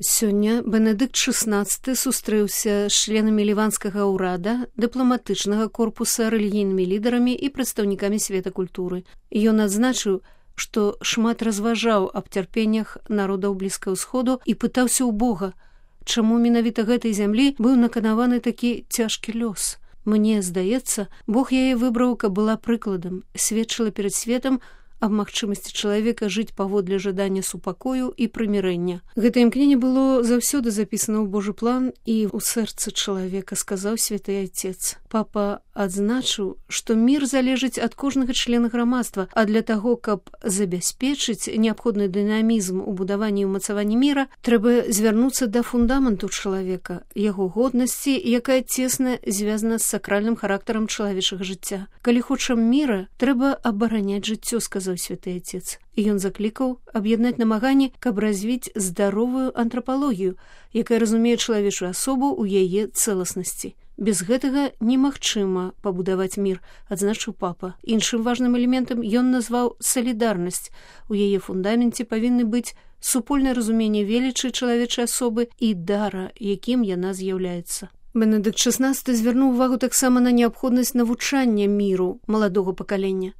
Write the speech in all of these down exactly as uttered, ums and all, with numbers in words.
Сёння Бенедыкт шаснаццаты сустрэўся з членамі ліванскага ўрада, дыпламатычнага корпуса, рэлігійнымі лідарамі і прадстаўнікамі света культуры. Ён адзначыў, што шмат разважаў аб цярпеннях народаў Блізкага ўсходу і пытаўся ў Бога, чаму менавіта гэтай зямлі быў наканаваны такі цяжкі лёс. Мне здаецца, Бог яе выбраў, каб была прыкладам, сведчыла перад светам аб магчымасці чалавека жыць паводле жадання супакою і прымірэння. Гэта імкненне было заўсёды запісана ў Божы план і ў сэрцы чалавека, сказаў святы Айцец. Папа адзначыў, што мір залежыць ад кожнага члена грамадства, а для таго, каб забяспечыць неабходны дынамізм у будаванні і ўмацаванні міра, трэба звярнуцца да фундаменту чалавека, яго годнасці, якая цесна звязана з сакральным характарам чалавечага жыцця. Калі хочам міра, трэба абараняць жыццё, сказаў святы Айцец. І ён заклікаў аб'яднаць намаганні, каб развіць здаровую антрапалогію, якая разумее чалавечую асобу ў яе цэласнасці. Без гэтага немагчыма пабудаваць мір, адзначыў папа. Іншым важным элементам ён назваў салідарнасць. У яе фундаменце павінны быць супольнае разуменне велічы чалавечай асобы і дара, якім яна з'яўляецца. Бенедыкт шаснаццаты звярнуў увагу таксама на неабходнасць навучання міру маладога пакалення.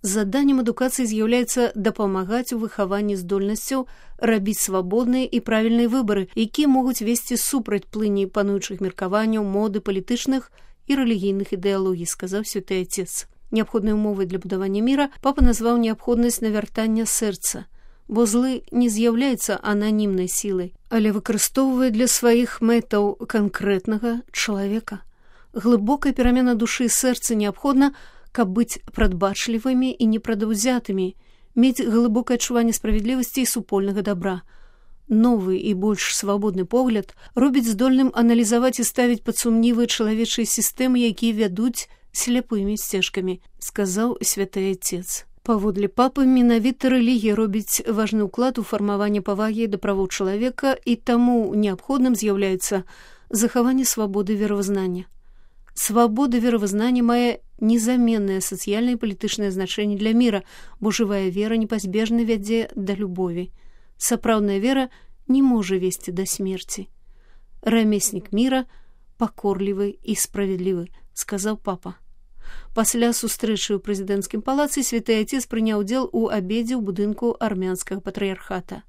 Заданнем адукацыі з'яўляецца дапамагаць у выхаванні здольнасцяў рабіць свабодныя і правільныя выбары, якія могуць весці супраць плыні пануючых меркаванняў, моды, палітычных і рэлігійных ідэалогій, сказаў святы Айцец. Неабходнай умовай для будавання міра папа назваў неабходнасць навяртання сэрца, бо злы не з'яўляецца ананімнай сілай, але выкарыстоўвае для сваіх мэтаў канкрэтнага чалавека. Глыбокая перамена душы і сэрца неабходна, каб быць прадбачлівымі і непрадаўзятымі, мець глыбокае адчуванне справядлівасці і супольнага дабра. Новы і больш свабодны погляд робіць здольным аналізаваць і ставіць пад сумнівы чалавечыя сістэмы, якія вядуць сляпымі сцежкамі, сказаў святы Айцец. Паводле папы, менавіта рэлігія робіць важны ўклад у фармаванне павагі да правоў чалавека, і таму неабходным з'яўляецца захаванне свабоды веравызнання. Свабода веравызнання мае незаменнае сацыяльнае і палітычнае значэнне для міра, бо жывая вера непазбежна вядзе да любові. Сапраўдная вера не можа весці да смерці. Рамеснік міра пакорлівы і справядлівы, сказаў папа. Пасля сустрэчы ў прэзідэнцкім палацы святы Айцец прыняў удзел у абедзе ў будынку армянскага патрыярхата.